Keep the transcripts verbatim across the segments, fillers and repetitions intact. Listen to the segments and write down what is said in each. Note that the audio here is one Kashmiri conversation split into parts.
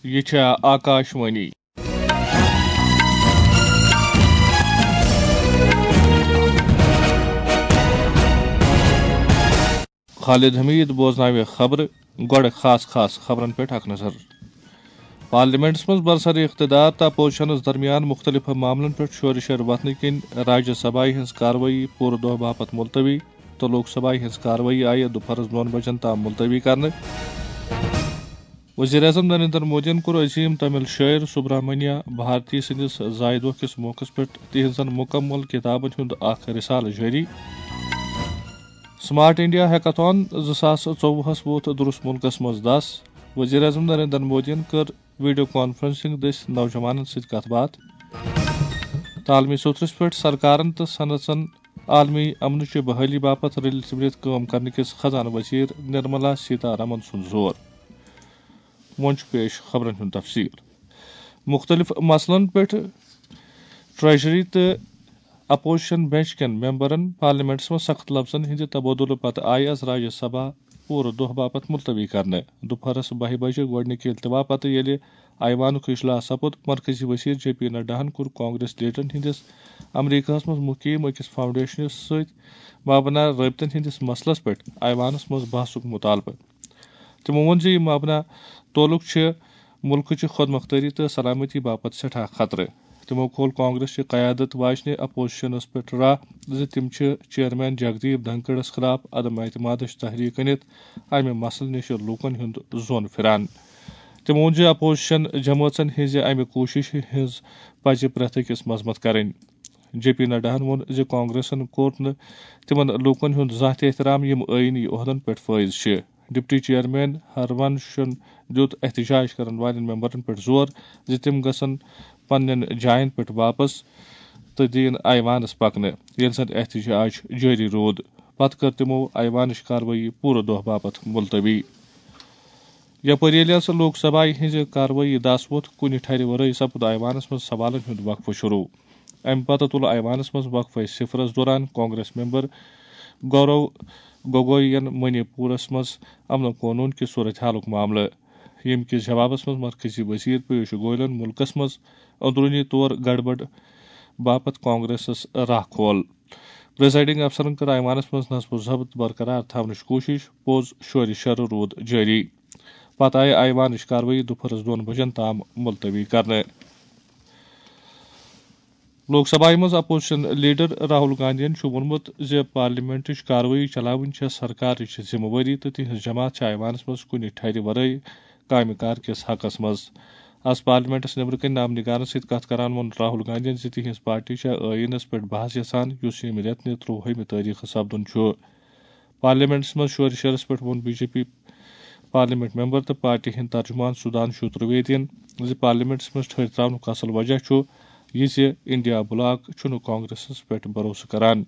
یہِ چھےٚ آکاش وانی۔ خالد حمید بوزناوِ خبرٕ۔ گۄڈٕ خاص خاص خبرن پٮ۪ٹھ اکھ نظر۔ پارلیمنٹس منٛز برسر اقتدار تہٕ اپوزیشنس درمیان مختلف معاملن پٮ۪ٹھ شورٕ شر وتھنہٕ کِنۍ راجیہ سبھایہ ہٕنٛز کاروٲیی پوٗرٕ دۄہ باپتھ ملتوی تہٕ لوک سبھایہ ہٕنٛز کاروٲیی آیہِ دُپہرس دۄن بجن تام ملتوی کرنہٕ۔ وزیر اعظم نریندر مودیَن کوٚر عظیم تمل شٲعر سبرامنیا بھارتی سٕنٛدِس زایہِ دۄہ کِس موقعس پٮ۪ٹھ تِہنٛزن مکمل کتابن ہُنٛد اکھ رسالہٕ جٲری۔ سمارٹ انڈیا ہیکاتھان زٕ ساس ژوٚوُہس ووت درست ملکس منٛز دس۔ وزیر اعظم نریندر مودیَن کٔر ویڈیو کانفرنسنگ دٔسۍ نوجوانن سۭتۍ کتھ باتھ۔ تہٕ عالمی سوٚتھرس پٮ۪ٹھ سرکارن تہٕ صنعژن عالمی امنٕچہِ بحالی باپتھ رلِتھ مِلِتھ کٲم کرنہٕ کِس خزانہٕ وزیر نرملا سیتا رمن سُنٛد زور۔ وۄنۍ چھُ پیش خبرن ہُنٛد تفصیل۔ مختلف مسلن پٮ۪ٹھ ٹریجری تہٕ اپوزیشن بینچ کٮ۪ن ممبرن پارلیمنٹس منٛز سخت لفظن ہٕنٛدِ تبادلہٕ پتہٕ آیہِ از راجیہ سبھا پوٗرٕ دۄہ باپتھ ملتوی کرنہٕ۔ دُپہرس بَہہِ بجہِ گۄڈٕنِکہِ التوا پتہٕ ییٚلہِ ایوانُک اجلاس سپُد، مرکزی وزیر جے پی نڈاہن کوٚر کانگریس لیڈرن ہٕنٛدِس امریکہس منٛز مقیم أکِس فاؤنڈیشنس سۭتۍ مابنا رٲبطن ہٕنٛدِس مسلس پٮ۪ٹھ ایوانس منٛز بحثُک مطالبہٕ۔ تِمو ووٚن زِ یہِ مبنا تعلق چھِ مُلکٕچہِ خۄد مۄختٲری تہٕ سلامتی باپتھ سٮ۪ٹھاہ خطرٕ۔ تِمو کھول کانگریس چہِ قیادت واجنہِ اپوزیشنس پٮ۪ٹھ راہ زِ تِم چھِ چیئرمین جگدیپ دھنکڑس خلاف عدم اعتمادٕچ تحریک أنِتھ امہِ مسلہٕ نِش لوٗکن ہُنٛد ظۄن پھِران۔ تِمو ووٚن زِ اپوزیشن جمٲژن ہٕنٛزِ امہِ کوٗششہِ ہٕنٛز پزِ پرٛٮ۪تھ أکِس مذمت کرٕنۍ۔ جے پی نڈاہن ووٚن زِ کانگریسن کوٚر نہٕ تِمن لوٗکن ہُنٛد زانٛہہ تہِ احترام یِم ٲیٖنی عہدن پٮ۪ٹھ فٲیض چھِ۔ ڈپٹی چیئرمین ہرونشن دیُت احتجاج کرن والٮ۪ن ممبرن پٮ۪ٹھ زور زِ تِم گژھن پننٮ۪ن جاین پٮ۪ٹھ واپس تہٕ دِیِن ایوانس پکنہٕ، ییٚلہِ زن احتجاج جٲری روٗد۔ پتہٕ کٔر تِمو ایوانٕچ کاروٲیی پوٗرٕ دۄہ باپتھ ملتوی۔ یپٲرۍ ییٚلہِ ہسا لوک سبھایہ ہٕنٛزِ کاروٲیی دس ووٚتھ، کُنہِ ٹھرِ ورٲے سپُد ایوانس منٛز سوالن ہُنٛد وقفہٕ شروع۔ امہِ پتہٕ تُل ایوانس منٛز وقفہٕ صفرس دوران کانگریس ممبر گورو گوگویَن منی پورس منٛز امن و قونوٗن کہِ صورتحالُک معاملہٕ، ییٚمہِ کِس جوابس منٛز مرکزی وزیر پیوش گویلن مُلکس منٛز اندروٗنی طور گڑبڑ باپتھ کانگریسس راہ کھول۔ پریزائیڈنگ افسرن کٔر ایوانس منٛز نظم و ضبط برقرار تھاونٕچ کوٗشش، پوٚز شورِ شرٕ روٗد جٲری۔ پتہٕ آیہِ ایوانٕچ کاروٲیی دُپہرس دۄن بجن تام ملتوی کرنہٕ۔ لوک سبھایہ منٛز اپوزیشن لیڈر راہل گاندھین چھُ ووٚنمُت زِ پارلیمنٹٕچ کاروٲیی چلاوٕنۍ چھےٚ سرکارٕچ ذمہٕ وٲری تہٕ تِہنٛز جماعت چھےٚ ایوانس منٛز کُنہِ ٹھرِ ورٲے کامہِ کار کِس حقس منٛز۔ از پارلیمنٹس نیبرٕ کنہِ نامہ نگارن سۭتۍ کتھ کران ووٚن راہل گاندھین زِ تِہنٛز پارٹی چھےٚ ٲیٖنس پٮ۪ٹھ بحث یژھان، یُس ییٚمہِ رٮ۪تہٕ نہِ ترٛوہمہِ تٲریخہٕ سپدُن چھُ۔ پارلیمنٹس منٛز شورِ شرس پٮ۪ٹھ ووٚن B J P parliament member تہٕ پارٹی ہٕنٛدۍ ترجمان سودھانشو ترویدین زِ پارلیمنٹس منٛز ٹھٔہرۍ ترٛاونُک اصل وجہ چھُ یہِ زِ انڈیا بلاک چھُنہٕ کانگریسس پٮ۪ٹھ بھروسہٕ کران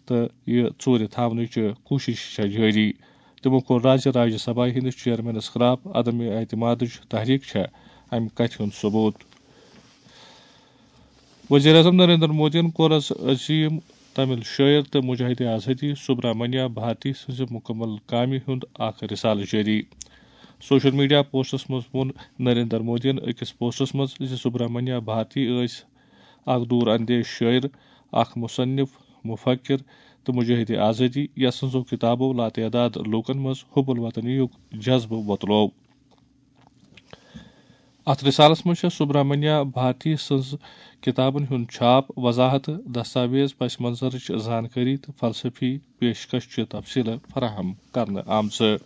تہٕ یہِ ژوٗرِ تھاونٕچ کوٗشش چھےٚ جٲری۔ تِمو کوٚر راز زِ راجیہ سبھایہ ہٕنٛدِس چیئرمینس خلاف عدم اعتمادٕچ تحریک چھےٚ امہِ کتھِ ہُنٛد ثبوت۔ وزیر اعظم نریندر مودیَن کوٚر از عظیم تمل شٲعر تہٕ مجاہد آزادی سبرامنیا بھارتی سٕنٛزِ مکمل کامہِ ہُنٛد اکھ رسالہٕ جٲری۔ سوشل میڈیا پوسٹس منٛز ووٚن نریندر مودیَن أکِس پوسٹس منٛز زِ سبرامنیا بھارتی ٲسۍ اکھ دوٗر اندیش شٲعر، اکھ مصنف، مفکر تہٕ مجاہد آزادی، یس سٕنٛزو کتابو لاتعداد لوٗکن منٛز حب الوطنی یُک جذبہٕ وۄتلوو۔ اتھ رسالس منٛز چھےٚ سبرامنیا بھارتی سٕنٛز کتابن ہُنٛد چھاپ، وضاحت، دستاویز، پس منظرٕچ زانکٲری تہٕ فلسفی پیشکش چہِ تفصیلہٕ فراہم کرنہٕ آمژٕ۔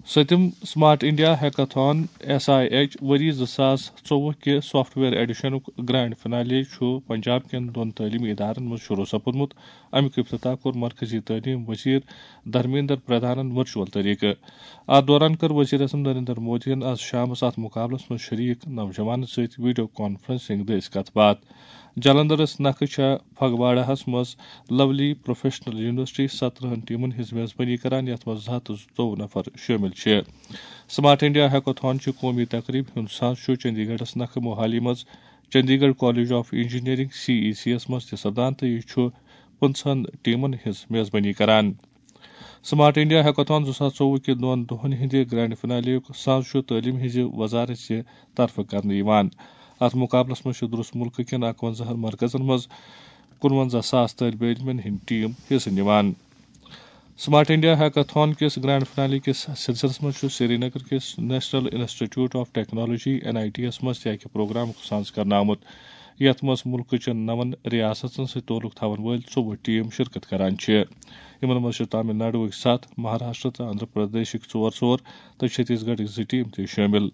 سٔتِم smart India hackathon, S I H, ؤری زٕ ساس ژوٚوُہ کہِ سافٹ ویئر ایڈیشنُک گرینڈ فنالے چھُ پنجاب کٮ۪ن دۄن تعلیمی ادارن منٛز شروع سپُدمُت۔ امیُک افتتاح کوٚر مرکزی تعلیم وزیر دھرمیندر پردھانن ورچوئل طریقہٕ۔ اتھ دوران کٔر وزیر اعظم نریندر مودیَن از شامس اتھ مقابلس منٛز شریک نوجوانن سۭتۍ ویڈیو کانفرنسنگ دٔسۍ کتھ باتھ۔ جلندرس نکھٕ چھےٚ پھگواڑاہس منٛز لولی پروفیشنل یونیورسٹی سترہن ٹیمن ہٕنٛز میزبٲنی کران، یتھ منٛز زٕ ہتھ تہٕ زٕتووُہ نفر شٲمِل چھِ۔ سمارٹ انڈیا ہیکاتھان چہِ قومی تقریبہِ ہُنٛد سانز چھُ چندی گڑھس نکھٕ موہالی منٛز Chandigarh college of engineering, C E C یَس منٛز تہِ سپدان تہٕ یہِ چھُ پٕنٛژٕہن ٹیمن ہٕنٛز میزبٲنی کران۔ سمارٹ انڈیا ہیکاتھان زٕ ساس ژوٚوُہ کہِ دۄن دۄہن ہٕنٛدِ گرینڈ فنالیُک ساز چھُ تعلیٖم ہٕنٛزِ وزارت چہِ طرفہٕ کرنہٕ یِوان۔ اتھ مقابلس منٛز چھِ درست ملکہٕ کٮ۪ن اکونزہن مرکزن منٛز کُنونزہ ساس طٲلبہِ علمن ہٕنٛدۍ ٹیٖم حصہٕ نِوان۔ سمارٹ انڈیا ہیکاتھان کِس گرینڈ فنالی کِس سلسلس منٛز چھُ سرینگر کِس National Institute of Technology, N I T یَس منٛز تہِ اکہِ پروگرامُک ساز کرنہٕ آمُت، یتھ منٛز ملکہٕ چٮ۪ن نَوَن ریاستن سۭتۍ تعلق تھاون وٲلۍ ژوٚوُہ ٹیٖم شرکت کران چھِ۔ یِمن منٛز چھِ تامل ناڈوٕکۍ ستھ، مہاراشٹر تہٕ آندھرا پردیشٕکۍ ژور ژور تہٕ چھتیس گڑھٕکۍ زٕ ٹیٖم تہِ شٲمِل۔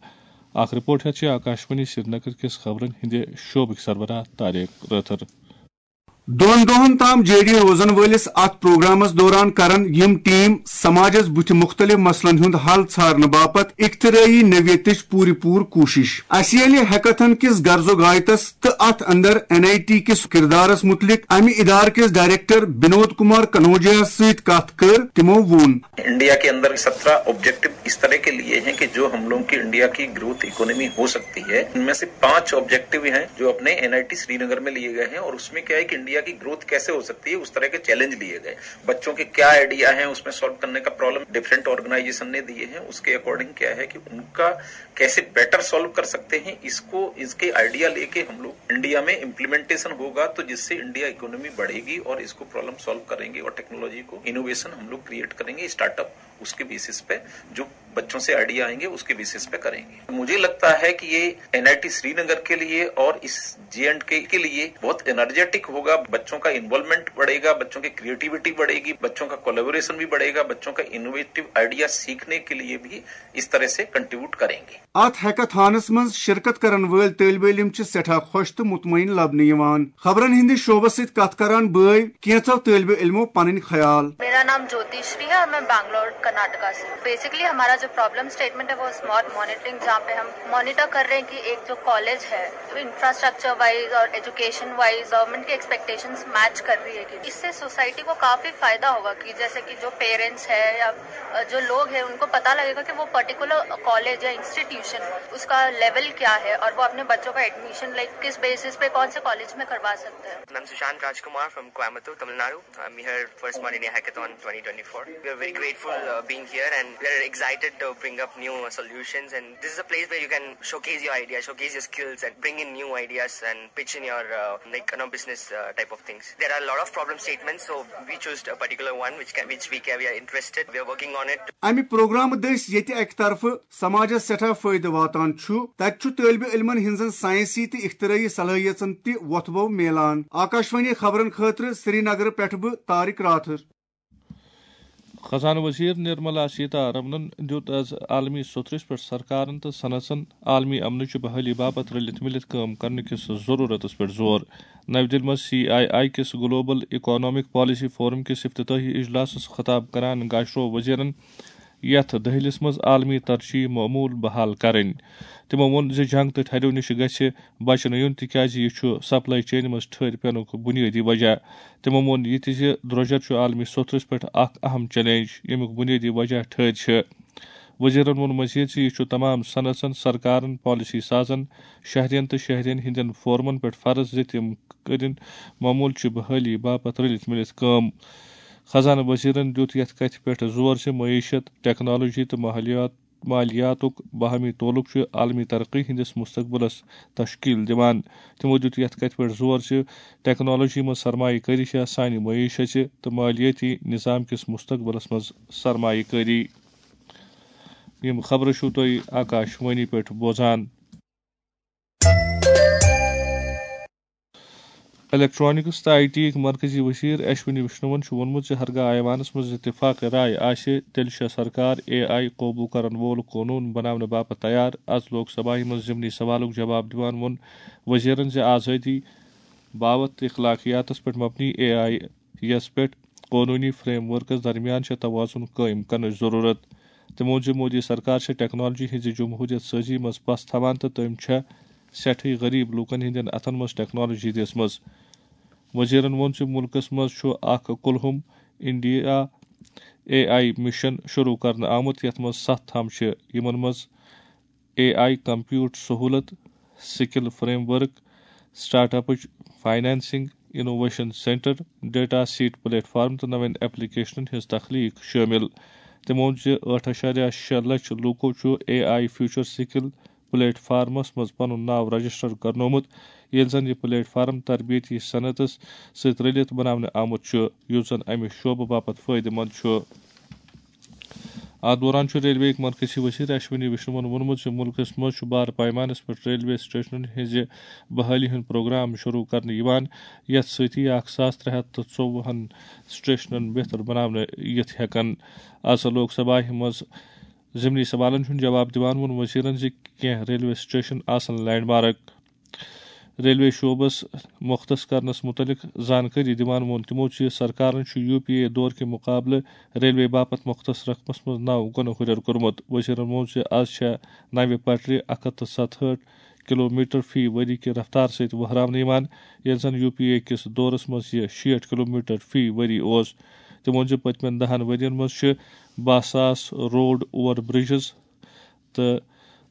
اکھ رپورٹ ہیتھ چھِ آکاشوانی سرینگر کِس خبرن ہٕنٛدِ شعبٕکۍ سربراہ طارق رٲتھر۔ دۄن دۄہن تام جٲری روزن وٲلِس اتھ پروگرامس دوران کرن یِم ٹیٖم سماجس بُتھِ مُختٔلِف مسلن ہُنٛد حل ژھارنہٕ باپتھ اختراعی نوعیتٕچ پوٗرٕ پوٗرٕ کوٗشش۔ اسہِ ییٚلہِ ہیکاتھان کِس غرض و غایتس تہٕ اتھ اندر این آئی ٹی کِس کردارس مُتعلق امہِ ادارٕ کِس ڈائریکٹر بنود کمار کنوجیاہس سۭتۍ کتھ کٔر، تِمو ووٚن۔ इंडिया के अंदर सत्रह ऑब्जेक्टिव इस तरह के लिए हैं कि जो हम लोगों की इंडिया की ग्रोथ इकोनॉमी हो सकती है, इनमें से पांच ऑब्जेक्टिव हैं जो अपने एनआईटी श्रीनगर में लिए गए हैं, और उसमें क्या है कि इंडिया की ग्रोथ कैसे हो सकती है, उस तरह के चैलेंज लिए गए। बच्चों के क्या आइडिया हैं, उसमें सॉल्व करने का प्रॉब्लम डिफरेंट ऑर्गेनाइजेशन ने दिए हैं, उसके अकॉर्डिंग क्या है कि उनका कैसे बेटर सॉल्व कर सकते हैं, इसको, इसके आइडिया लेके हम लोग इंडिया में इम्प्लीमेंटेशन होगा, तो जिससे इंडिया इकोनॉमी बढ़ेगी और इसको प्रॉब्लम सॉल्व करेंगे और टेक्नोलॉजी को इनोवेशन हम लोग क्रिएट करेंगे, स्टार्टअप उसके बेसिस पे, जो बच्चों से आइडिया आएंगे उसके बेसिस पे करेंगे। मुझे लगता है कि ये एनआईटी श्रीनगर के लिए और इस जे एंड के के लिए बहुत एनर्जेटिक होगा। बच्चों का इन्वॉल्वमेंट बढ़ेगा, बच्चों की क्रिएटिविटी बढ़ेगी, बच्चों का कोलेबोरेशन भी बढ़ेगा, बच्चों का इनोवेटिव आइडिया सीखने के लिए भी इस तरह से कंट्रीब्यूट करेंगे। اتھ ہیکاتھانس منٛز شرکت کرن وٲلۍ طٲلبہِ علم چھِ سٮ۪ٹھاہ خۄش تہٕ مطمئن لبنہٕ یِوان۔ خبرن ہٕنٛدِ شعبس سۭتۍ کتھ کران بٲوۍ کینٛژو طٲلبہِ علمو پنٕنۍ خیال۔ मेरा नाम ज्योतिश्री है और मैं बैंगलोर कर्नाटका से हूँ। बेसिकली हमारा जो प्रॉब्लम स्टेटमेंट है वो स्मार्ट मॉनिटरिंग, जहाँ पे हम मॉनिटर कर रहे हैं कि एक जो कॉलेज है, तो इंफ्रास्ट्रक्चर वाइज और एजुकेशन वाइज गवर्नमेंट की एक्सपेक्टेशंस मैच कर रही है कि इससे सोसाइटी को काफ़ी फ़ायदा होगा कि जैसे कि जो पेरेंट्स है या अ, जो लोग हैं उनको पता लगेगा कि वो पर्टिकुलर कॉलेज या इंस्टीट्यूशन, उसका लेवल क्या है और वो अपने बच्चों का एडमिशन लाइक किस बेसिस पे कौन से कॉलेज में करवा सकते हैं। I'm Sushant Rajkumar from Coimbatore, Tamil Nadu. I'm here for Smart India Hackathon twenty twenty-four. We are very grateful uh, being here, and we are excited to bring up new uh, solutions. And this is a place where you can showcase your ideas, showcase your skills, and bring in new ideas and pitch in your uh, like you know business uh, type of things. There are a lot of problem statements, so we chose a particular one which can, which we can, we are interested. We are working on it. امہِ پروگرامہٕ دٔسۍ ییٚتہِ اکہِ طرفہٕ سماجس سٮ۪ٹھاہ فٲیدٕ واتان چھُ، تتہِ چھُ طٲلبہِ علمن ہٕنٛزن ساینسی تہٕ اختراعی صلٲحیژن تہِ وۄتھٕ بو میلان۔ آکاشوانی خبرن خٲطرٕ سرینگرٕ پٮ۪ٹھٕ بہٕ طارق راتھر۔ خزانہٕ وزیر نرملا سیتارمنن دیُت از عالمی سترس پٮ۪ٹھ سرکارن تہٕ صنعژن عالمی امنٕچہِ بحالی باپتھ رلِتھ مِلِتھ کٲم کرنہٕ کِس ضروٗرتس پٮ۪ٹھ زور۔ نَوِ دِلہِ منٛز سی آئی آئی کِس گلوبل اکنامک پالیسی فورم کِس افتتاحی اجلاسس خطاب کران گاشرو وزیرن یتھ دٔہلِس منٛز عالمی ترجیح معمول بحال کرٕنۍ۔ تِمو ووٚن زِ جنگ تہٕ ٹھرِو نِش گژھِ بچنہٕ یُن، تِکیازِ یہِ چھُ سپلائی چینہِ منٛز ٹھٔہرۍ پینُک بُنیٲدی وجہ۔ تِمو ووٚن یہِ تہِ زِ درٛۄجر چھُ عالمی سوٚتھرِس پٮ۪ٹھ اکھ اہم چیلنج، ییٚمیُک بُنیٲدی وجہ ٹھٔہرۍ چھِ۔ وزیرن ووٚن مزید زِ یہِ چھُ تمام صنعژن، سرکارن، پالیسی سازن، شہرین تہٕ شہرین ہٕنٛدٮ۪ن فورمن پٮ۪ٹھ فرض زِ تِم کٔرِن معمول چہِ بحٲلی باپتھ رلِتھ مِلِتھ کٲم۔ خزانہٕ وزیرن دیُت یتھ کتھِ پٮ۪ٹھ زور زِ معیشت، ٹیکنالوجی تہٕ ماحولیات مالیاتُک باہمی تعلق چھُ عالمی ترقی ہٕنٛدِس مستقبلس تشکیل دِوان۔ تِمو دِیُت یَتھ کَتھِ پٮ۪ٹھ زور زِ ٹیکنالوجی منٛز سرمایہ کٲری چھےٚ سانہِ معیشتہِ تہٕ مالیٲتی نظام کِس مستقبلس منٛز سرمایہ کٲری۔ یِم خبرٕ چھِو تُہۍ آکاش وانی پٮ۪ٹھ بوزان۔ الیکٹرانکس تہٕ آئی ٹی یٕکۍ مرکزی وزیر اشونی وشنوَن چھُ ووٚنمُت زِ ہرگاہ ایوانس منٛز اتفاق رائے آسہِ، تیٚلہِ چھےٚ سرکار اے آئی قوبوٗ کرن وول قونوٗن بناونہٕ باپتھ تیار۔ از لوک سبھایہ منٛز ضمنی سوالُک جواب دِوان ووٚن وزیرن زِ آزٲدی، باوتھ تہٕ اخلاقیاتس پٮ۪ٹھ مبنی اے آئی یَس پٮ۪ٹھ قونوٗنی فریم ورکس درمیان چھےٚ توازن قٲیِم کرنٕچ ضروٗرت۔ تٔمۍ ووٚن زِ مودی سرکار چھےٚ ٹیکنالوجی ہٕنٛزِ جمہوٗریت سٲزی منٛز پَس تھاوان تہٕ تٔمۍ چھےٚ سٮ۪ٹھٕے غریب لوٗکن ہٕنٛدٮ۪ن اَتھن منٛز ٹیکنالوجی دِژمٕژ۔ وزیرن ووٚن زِ مُلکس منٛز چھُ اکھ کُلہُم انڈیا اے آئی مشن شروٗع کرنہٕ آمُت، یَتھ منٛز ستھ تھم چھِ، یِمن منٛز اے آئی کمپیوٹ سہولت، سکل فریم ورک، سٹارٹ اپٕچ financing, innovation centre, data set platform تہٕ نوین ایپلیکیشنن ہٕنٛز تخلیق شٲمِل۔ تٔمۍ ووٚن زِ ٲٹھ اَشاریہ شےٚ لچھ لوٗکو چھُ اے آئی فیوچر سکل پلیٹ فارمس منٛز پنُن ناو رجسٹر کرنومُت، ییٚلہِ زن یہِ پلیٹ فارم تربیتی صنعتس سۭتۍ رٔلِتھ بناونہٕ آمُت چھُ، یُس زن امہِ شعبہٕ باپتھ فٲیدٕ مند چھُ۔ اتھ دوران چھُ ریلوے مرکزی وزیر اشونی وشنوَن ووٚنمُت زِ مُلکَس منٛز چھُ بار پیمانَس پٮ۪ٹھ ریلوے سٹیشنَن ہٕنٛزِ بحالی ہُنٛد پروگرام شروع کرنہٕ یِوان، یَتھ سۭتی اکھ ساس ترٛےٚ ہَتھ تہٕ ژوٚوُہَن سٹیشنَن بہتر بناونہٕ یِتھ ہٮ۪کَن۔ آز لوک سبھاہہِ منٛز ضمنی سوالَن ہُنٛد جواب دِوان ووٚن وزیرَن زِ کینٛہہ ریلوے سٹیشن آسَن لینڈ مارک۔ ریلوے شعبس مختص کرنس متعلق زانکٲری دِوان ووٚن تِمو زِ سرکارن چھُ یو پی اے دور کہِ مقابلہٕ ریلوے باپتھ مختص رقمس منٛز نو گُنہٕ ہُرٮ۪ر کوٚرمُت۔ وزیرن ووٚن زِ از چھےٚ نوِ پٹرِ اکھ ہتھ تہٕ ستہٕ ہٲٹھ کلومیٹر فی ؤری کہِ رفتار سۭتۍ وہراونہٕ یِوان، ییٚلہِ زن یو پی اے کِس دورس منٛز یہِ شیٹھ کلومیٹر فی ؤری اوس۔ تٔمۍ ووٚن زِ پٔتمٮ۪ن دہن ؤرین منٛز چھِ باہ ساس روڈ اوور برجز تہٕ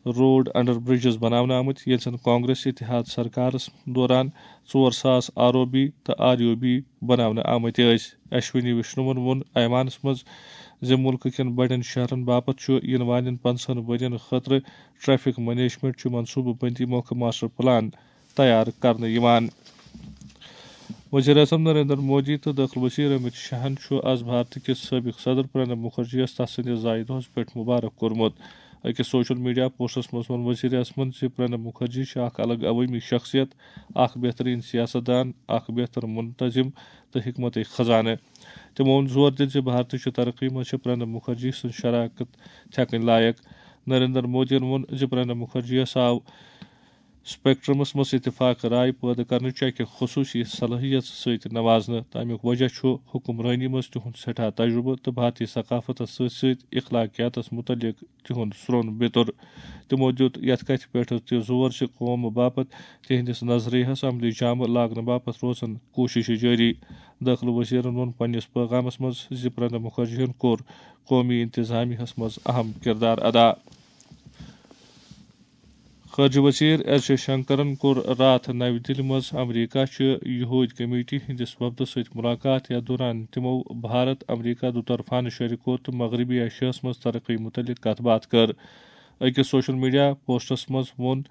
روڈ انڈر برجز بناونہٕ آمٕتۍ، ییٚلہِ زن کانگریس اتحاد سرکارس دوران ژور ساس آر او بی تہٕ آر یو بی بناونہٕ آمٕتۍ ٲسۍ۔ اشونی وشنوَن ووٚن ایوانس منٛز زِ مُلکہٕ کٮ۪ن بڑٮ۪ن شہرن باپتھ چھُ یِنہٕ والٮ۪ن پنٛژاہن ؤرین خٲطرٕ ٹریفک مینجمنٹ چہِ منصوبہٕ بندی مۄکھٕ ماسٹر پلان تیار کرنہٕ یِوان۔ وزیر اعظم نریندر مودی تہٕ دٲخلہٕ وزیر امت شاہن چھُ از بھارت کِس سٲبق صدر پرنب مُکھرجی یَس تس سٕنٛدِس زایہِ دۄہس پٮ۪ٹھ مبارک کوٚرمُت۔ أکِس سوشل میڈیا پوسٹس منٛز ووٚن وزیر اعظمن زِ پرنب مُکھرجی چھِ اکھ الگ عوٲمی شخصیت، اکھ بہترین سیاست دان، اکھ بہتر منتظم تہٕ حکمت خزانہٕ۔ تِمو ووٚن زور دِتھ زِ بھارتٕچ ترقی منٛز چھِ پرنب مُکھرجی سٕنٛز شراکت تھٮ۪کٕنۍ لایق۔ نریندر مودیَن ووٚن زِ پرنب مُکھرجی یَس آو اسپیکٹرمس منٛز اتفاق رائے پٲدٕ کرنٕچ اکہِ خصوصی صلٲحیت سۭتۍ نوازنہٕ، تہٕ امیُک وجہ چھُ حکمرٲنی منٛز تِہُنٛد سٮ۪ٹھاہ تجربہٕ تہٕ بھارتی ثقافتس سۭتۍ سۭتۍ اخلاقیاتس متعلق تِہُنٛد سرٛون بیتُر۔ تِمو دِیُت یتھ کتھِ پٮ۪ٹھ تہِ زور زِ قوم باپتھ تِہنٛدِس نظریہس عملی جامہٕ لاگنہٕ باپتھ روزن کوٗششہٕ جٲری۔ دٲخلہٕ وزیرن ووٚن پننِس پیغامس منٛز زِ پرنب مُکھرجی یَن کوٚر قومی انتظامیہس منٛز اہم کردار ادا۔ خارجہ وزیر ایس جے شنکرن کوٚر راتھ نَوِ دِلہِ منٛز امریکہ چہِ یہود کمیٹی ہٕنٛدِس وفدس سۭتۍ مُلاقات، یتھ دوران تِمو بھارت امریکہ دُطرفانہٕ شریکو تہٕ مغربی ایشیاہس منٛز ترقی مُتعلق کتھ باتھ کٔر۔ أکِس سوشل میڈیا پوسٹس منٛز ووٚن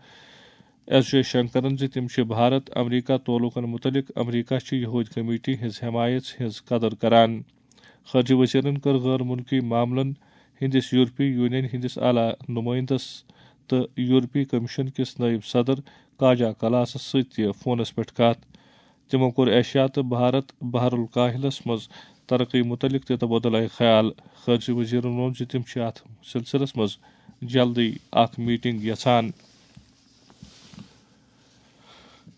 ایس جے شنکرن زِ تِم چھِ بھارت امریکہ تعلقن مُتعلق امریکہ چہِ یہود کمیٹی ہٕنٛز حمایت ہٕنٛز قدر کران۔ خارجہ وزیرن کٔر غٲر مُلکی معاملن ہٕنٛدِس یورپی یونین ہٕنٛدِس اعلیٰ نُمٲیندس تہٕ یورپی کمیشن کِس نٲیِب صدر کاجا کلاسس سۭتۍ تہِ فونس پٮ۪ٹھ کتھ۔ تِمو کوٚر ایشیا تہٕ بھارت بحر الکاہلس منٛز ترقی مُتعلق تہِ تبادلہ خیال۔ خارجہ وزیرن ووٚن زِ تِم چھِ اتھ سلسلس منٛز جلدی اکھ میٹنگ یژھان۔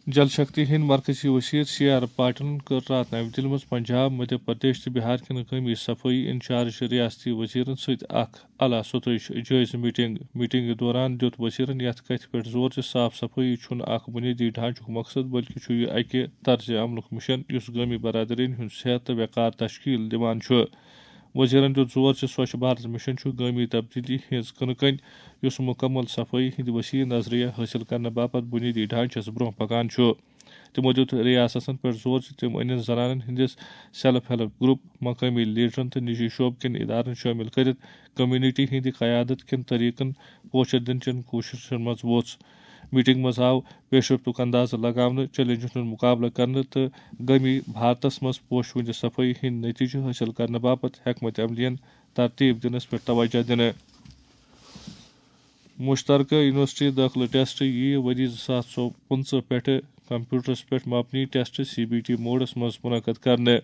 جل شکتی ہٕنٛدۍ مرکزی وزیر سی آر پاٹیلن کٔر راتھ نَوِ دِلہِ منٛز پنجاب، مدھیہ پردیش تہٕ بہار کٮ۪ن قومی صفٲیی انچارج ریاستی وزیرن سۭتۍ اکھ اعلیٰ سطحٕچ جٲیزٕ میٹنگ۔ میٹنگہِ دوران دِیُت وزیرن یتھ کتھِ پٮ۪ٹھ زور زِ صاف صفٲیی چھُنہٕ اکھ بنیٲدی ڈھانچُک مقصد، بلکہِ چھُ یہِ اکہِ طرزِ عملُک مشن یُس گٲمی برادرین ہُنٛد صحت تہٕ وقار تشکیل دِوان چھُ۔ وزیرن دِیُت زور زِ سوچھ بھارت مشن چھُ گٲمی تبدیلی ہٕنٛز کٕنہٕ کٔنۍ، یُس مکمل صفٲیی ہٕنٛدِ وسیع نظریہ حٲصِل کرنہٕ باپتھ بنیٲدی ڈھانچس برٛونٛہہ پکان چھُ۔ تِمو دِیُت ریاستن پٮ۪ٹھ زور زِ تِم أنِن زنانن ہٕنٛدِس سیلف ہیلپ گروپ، مقٲمی لیڈرن تہٕ نجی شعبہٕ کٮ۪ن ادارن شٲمِل کٔرِتھ کمیونٹی ہٕنٛدِ قیادت کٮ۪ن طریقن پوچھر دِنہٕ چٮ۪ن کوٗششن منٛز ووٚژھ۔ میٹنگ منٛز آو پیش رفتُک اندازٕ لگاونہٕ، چیلنجن ہُنٛد مقابلہٕ کرنہٕ تہٕ گٲمی بھارتس منٛز پوشہٕ ہٕنٛدِ صفٲیی ہٕنٛدۍ نتیجہٕ حٲصِل کرنہٕ باپتھ حکمت عملین ترتیب دِنس پٮ۪ٹھ توجہ دِنہٕ۔ مشترکہ یونیورسٹی دٲخلہٕ ٹیسٹ یِیہِ ؤری زٕ ساس ژۄ-، پٕنٛژٕہ پٮ۪ٹھٕ کمپیوٹرس پٮ۪ٹھ مبنی ٹیسٹ، سی بی ٹی، موڈس منٛز منعقد کرنہٕ۔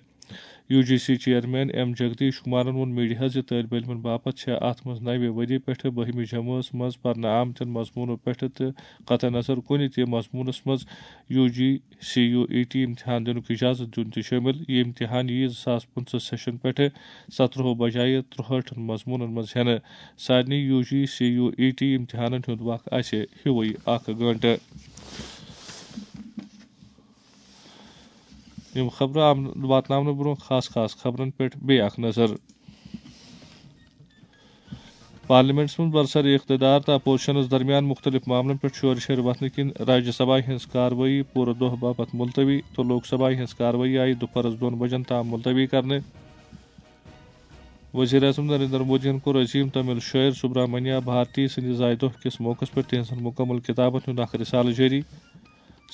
U G C chairman M Jagadish کمارن ووٚن میڈیاہس زِ طٲلب علمن باپتھ چھےٚ اتھ منٛز نوِ ؤری پٮ۪ٹھٕ بٔہمہِ جمٲژ منٛز پرنہٕ آمتٮ۪ن مضموٗنو پٮ۪ٹھٕ تہٕ قطع نظر کُنہِ تہِ مضموٗنس منٛز U G C U E T امتحان دِنُک اجازت دیُن تہِ شٲمِل۔ یہِ امتحان یِیہِ زٕ ساس پٕنٛژٕہ سیشن پٮ۪ٹھٕ سترٛہو بجایہِ ترٛہٲٹھن مضموٗنن منٛز ہٮ۪نہٕ۔ سارنٕے U G C U E T امتحانن ہُنٛد وق آسہِ ہیوٗوٕے اکھ گٲنٛٹہٕ۔ یِم خبرٕ آم-، واتناونہٕ برٛونٛہہ خاص خاص خبرن پٮ۪ٹھ بیٚیہِ اکھ نظر۔ پارلیمنٹس منٛز برسر اقتدار تہٕ اپوزیشنس درمیان مختلف معاملن پٮ۪ٹھ شورٕ شر وتھنہٕ کِنۍ راجیہ سبھایہ ہٕنٛز کاروٲیی پوٗرٕ دۄہ باپتھ ملتوی تہٕ لوک سبھایہ ہٕنٛز کاروٲیی آیہِ دُپہرس دۄن بجن تام ملتوی کرنہٕ۔ وزیر اعظم نریندر مودیَن کوٚر عظیم تامل شٲعر سبرامنیا بھارتی سٕنٛدِ زایہِ دۄہ کِس موقعس پٮ۪ٹھ تِہنٛزن مکمل کتابن ہُنٛد اکھ رسالہٕ جٲری۔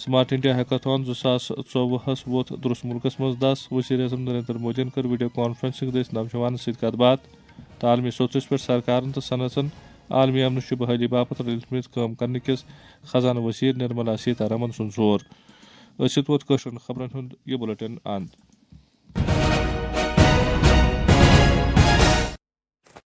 سمارٹ انڈیا ہیکاتھان زٕ ساس ژوٚوُہس ووت درست ملکس منٛز دس۔ وزیر اعظم نریندر مودیَن کٔر ویڈیو کانفرنسنگ دٔسۍ نوجوانن سۭتۍ کتھ باتھ تہٕ عالمی سطحس پٮ۪ٹھ سرکارن تہٕ صنعژن عالمی امنٕچہِ بحالی باپتھ رلِتھ مِتھ کٲم کرنہٕ کِس خزانہٕ وزیر نرملا سیتارمن سُنٛد زور۔ أتھۍ سۭتۍ ووت کٲشرٮ۪ن خبرن ہُنٛد یہِ بُلٹن اند۔